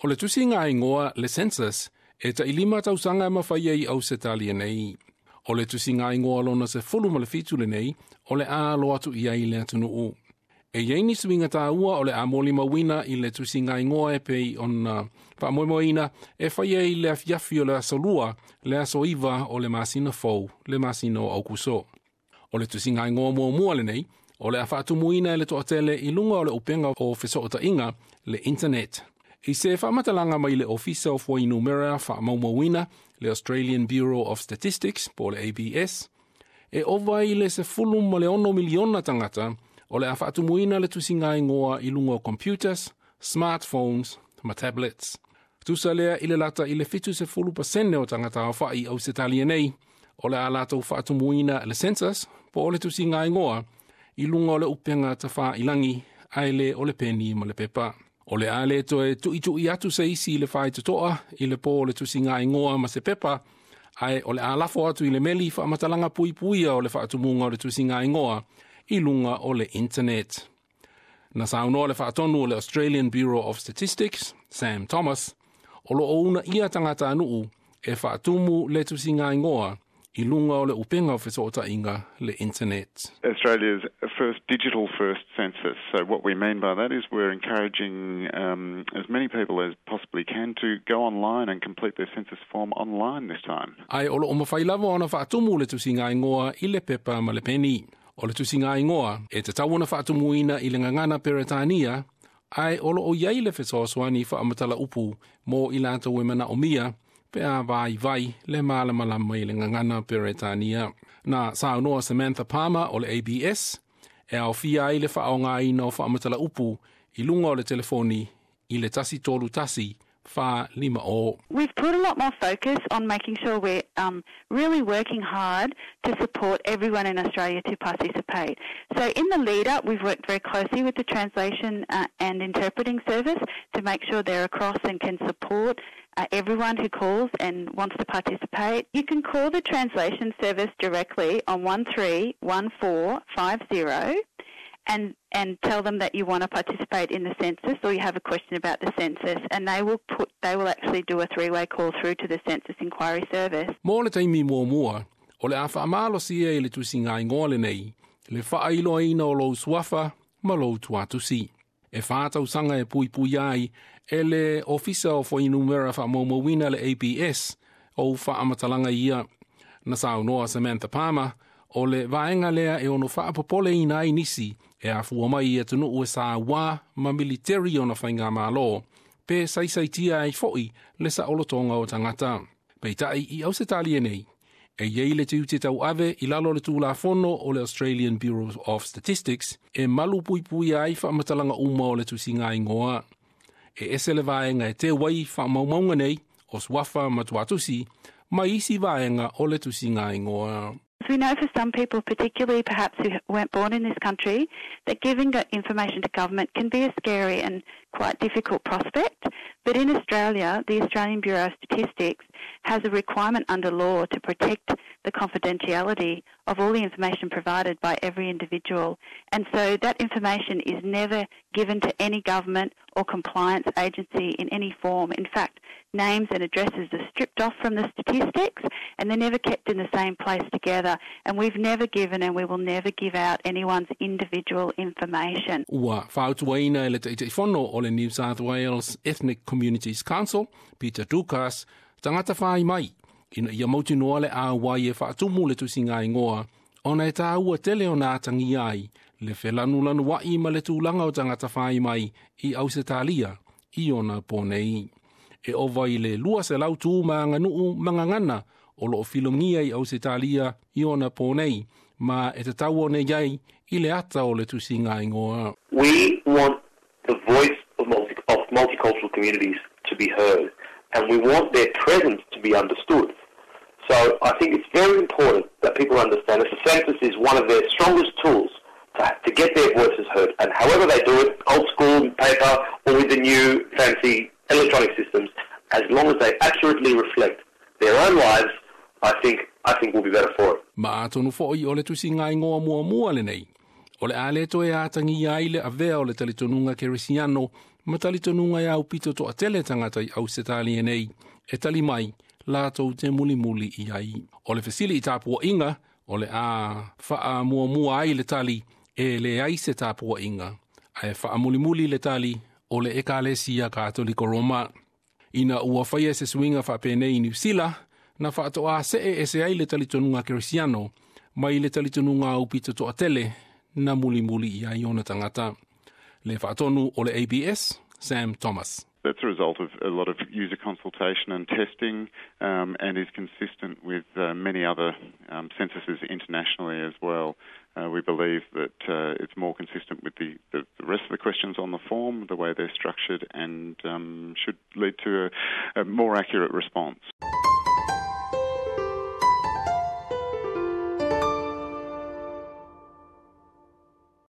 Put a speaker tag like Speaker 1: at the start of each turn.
Speaker 1: O le tusiga igoa le census e 5 tausaga e mafai ai Ausetalia nei. O le tusiga igoa lona 17 lenei o le a alo atu i ai le atunuu. E iai ni suiga tāua o le a molimauina i le tusiga igoa e pei ona faamoemoeina e fai ai le afiafi o le aso 2, le aso 9 o le masina fou, le masina o Aukuso. O le tusiga igoa muamua lenei, o le a faatumuina e le toatele i luga o le upenga o fesootaiga le internet. I se faamatalaga mai le Ofisa o Fuainumera Faamaumauina, le Australian Bureau of Statistics, po o le ABS, e ova i le 16 miliona tagata o le a faatumuina le tusiga igoa i luga o computers, smartphones ma tablets. Tusa lea i le lata i le 70% o tagata aofai Ausetalia nei, o le a latou faatumuina le census, po o le tusiga igoa, i luga o le upenga tafailangi, ae le o le peni ma le pepa. O le a le toe tuitui atu se isi i le faitotoa i le po o le tusiga igoa ma se pepa, ae o le a lafo atu i le meli faamatalaga puipuia o le faatumuga o le tusiga igoa i luga o le internet. Na saunoa le faatonu o le Australian Bureau of Statistics, Sam Thomas, o lo o uunaia tagatanuu e faatumu le tusiga igoa i luga o le upenga o fesootaiga le internet.
Speaker 2: Australia's first digital first census. So what we mean by that is we're encouraging as many people as possibly can to go online and complete their census form online this time.
Speaker 1: Ae o lo o mafai lava ona faatumu le tusiga igoa i le pepa ma le peni. O le tusiga igoa e tatau ona faatumuina i le gagana Peretania, ae o lo o iai le fesoasoani faamatala upu mo i latou e manaomia pe a vaivai le malamalama i le gagana Peretania. Na saunoa Samantha Palmer o le ABS, e aofia ai le faaaogaina o faamatala upu i luga o le telefoni i le 1 3 1 4 5 o.
Speaker 3: We've put a lot more focus on making sure we're really working hard to support everyone in Australia to participate. So in the lead up, we've worked very closely with the translation and interpreting service to make sure they're across and can support everyone who calls and wants to participate. You can call the translation service directly on 131450 and tell them that you want to participate in the census or you have a question about the census, and they will actually do a three-way call through to the census inquiry service.
Speaker 1: Mo le taimi muamua, o le a faamalosia i le tusiga igoa lenei, le faailoaina o lou suafa ma lou tuatusi. E 4 tausaga e puipui ai e le Ofisa o Fuainumera Faamaumauina le ABS o faamatalaga ia. Na saunoa Samantha Palmer, o le vaega lea e ono faapopoleina ai nisi e afua mai i atunuu e sauā ma militeri ona faigamalo, pe saisaitia ai foi le saolotoga o tagata. Peitai i Ausetalia nei, e iai le tiute tauave i lalo le tulafono o le Australian Bureau of Statistics e malu puipui ai faamatalaga uma o le tusiga igoa. E ese le vaega e teu ai faamaumauga nei o suafa ma tuatusi, ma isi vaega o le tusiga igoa.
Speaker 3: We know for some people, particularly perhaps who weren't born in this country, that giving information to government can be a scary and quite difficult prospect. But in Australia, the Australian Bureau of Statistics has a requirement under law to protect the confidentiality of all the information provided by every individual. And so that information is never given to any government or compliance agency in any form. In fact, names and addresses are stripped off from the statistics and they're never kept in the same place together. And we've never given and we will never give out anyone's individual information.
Speaker 1: Ua fautuaina e le Taitaifono o le New South Wales Ethnic Communities Council, Peter Doukas, tagata fai mai, ina ia mautinoa le auai e faatumu le tusiga igoa, ona e tāua tele o nā tangi ai, le felanulanuai ma le tulaga o tagata fai mai i Ausetalia, i ona pō nei. E ova i le 200 tu ma aganuu ma gagana o loo filogia i Ausetalia i ona pō nei, ma e tatau ona i ai i le ata o le tusiga igoa.
Speaker 4: We want the voice of multicultural communities to be heard, and we want their presence to be understood. So I think it's very important that people understand that the census is one of their strongest tools to get their voices heard. And however they do it, old school paper or with the new fancy electronic systems, as long as they accurately reflect their own lives, I think we'll be better for it.
Speaker 1: Ma atonu foi o le tusiga igoa muamua lenei. O le a le toe atagia ai le avea o le talitonuga kerisiano ma talitonuga e aupito toatele tagata i Ausetalia nei e tali mai latou te mulimuli i ai. O le fesili i tapuaiga o le a faamuamua ai le tali e leai se tapuaiga ae faamulimuli le tali o le Ekalesia Katoliko Roma. Ina ua faia se suiga faapenei i Niusila, na faatoa see ese ai le talitonuga kerisiano mai le talitonuga aupito toatele na mulimuli i ai ona tagata. Le faatonu o le ABS, Sam Thomas.
Speaker 2: That's a result of a lot of user consultation and testing and is consistent with many other censuses internationally as well. We believe that it's more consistent with the rest of the questions on the form, the way they're structured, and should lead to a more accurate response.